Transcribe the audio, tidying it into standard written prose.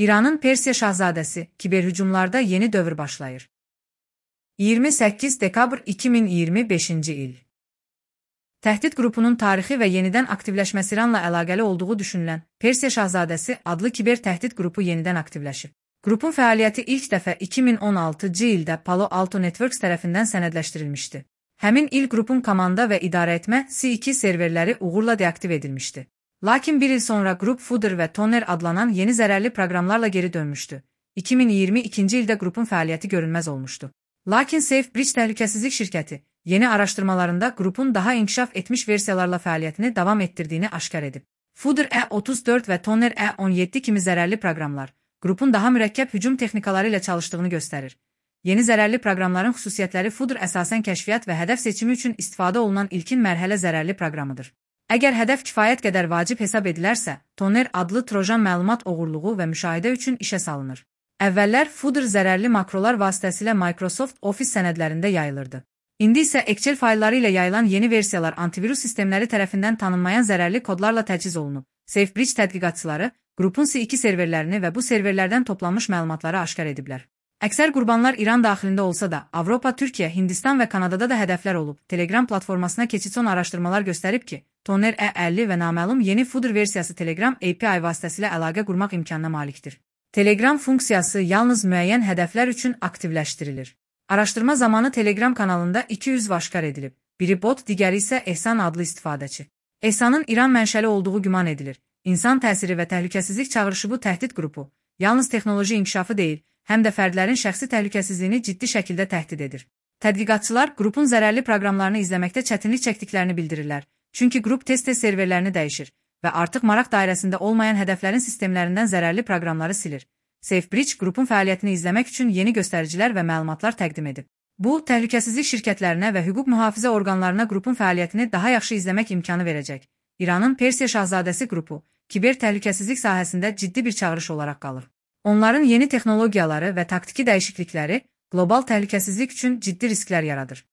İranın Persiya Şahzadəsi, kiberhücumlarda yeni dövr başlayır. 28 dekabr 2025-ci il. Təhdid qrupunun tarixi və yenidən aktivləşməsi İranla əlaqəli olduğu düşünülən Persiya Şahzadəsi adlı kiber təhdid qrupu yenidən aktivləşib. Qrupun fəaliyyəti ilk dəfə 2016-cı ildə Palo Alto Networks tərəfindən sənədləşdirilmişdi. Həmin il qrupun komanda və idarəetmə C2 serverləri uğurla deaktiv edilmişdi. Lakin bir il sonra qrup Fooder və Toner adlanan yeni zərərli proqramlarla geri dönmüşdü. 2022-ci ildə qrupun fəaliyyəti görünməz olmuşdu. Lakin SafeBridge təhlükəsizlik şirkəti yeni araşdırmalarında qrupun daha inkişaf etmiş versiyalarla fəaliyyətini davam etdirdiyini aşkar edib. Fooder E34 və Toner E17 kimi zərərli proqramlar qrupun daha mürəkkəb hücum texnikaları ilə çalışdığını göstərir. Yeni zərərli proqramların xüsusiyyətləri Fooder əsasən kəşfiyyat və hədəf seçimi üçün istifadə olunan ilkin mərhələ zərərli proqramıdır. Əgər hədəf kifayət qədər vacib hesab edilərsə, Toner adlı trojan məlumat oğurluğu və müşahidə üçün işə salınır. Əvvəllər Fooder zərərli makrolar vasitəsilə Microsoft Office sənədlərində yayılırdı. İndi isə Excel faylları ilə yayılan yeni versiyalar antivirus sistemləri tərəfindən tanınmayan zərərli kodlarla təchiz olunub. SafeBridge tədqiqatçıları qrupun C2 serverlərini və bu serverlərdən toplanmış məlumatları aşkar ediblər. Əksər qurbanlar İran daxilində olsa da, Avropa, Türkiyə, Hindistan və Kanadada da hədəflər olub. Telegram platformasına keçid son araşdırmalar göstərib ki, Toner E50 və naməlum yeni Fooder versiyası Telegram API vasitəsilə əlaqə qurmaq imkanına malikdir. Telegram funksiyası yalnız müəyyən hədəflər üçün aktivləşdirilir. Araşdırma zamanı Telegram kanalında 2 üzv aşkar edilib. Biri bot, digəri isə Ehsan adlı istifadəçi. Ehsanın İran mənşəli olduğu güman edilir. İnsan təsiri və təhlükəsizlik çağırışı bu təhdid qrupu yalnız texnoloji inkişafı deyil, həm də fərdlərin şəxsi təhlükəsizliyini ciddi şəkildə təhdid edir. Tədqiqatçılar qrupun zərərli proqramlarını izləməkdə çətinlik çəkdiklərini bildirirlər. Çünki qrup tez-tez serverlərini dəyişir və artıq maraq dairəsində olmayan hədəflərin sistemlərindən zərərli proqramları silir. SafeBridge qrupun fəaliyyətini izləmək üçün yeni göstəricilər və məlumatlar təqdim edib. Bu, təhlükəsizlik şirkətlərinə və hüquq mühafizə orqanlarına qrupun fəaliyyətini daha yaxşı izləmək imkanı verəcək. İranın Persiya Şahzadəsi qrupu kiber təhlükəsizlik sahəsində ciddi bir çağırış olaraq qalır. Onların yeni texnologiyaları və taktiki dəyişiklikləri qlobal təhlükəsizlik üçün ciddi risklər yaradır.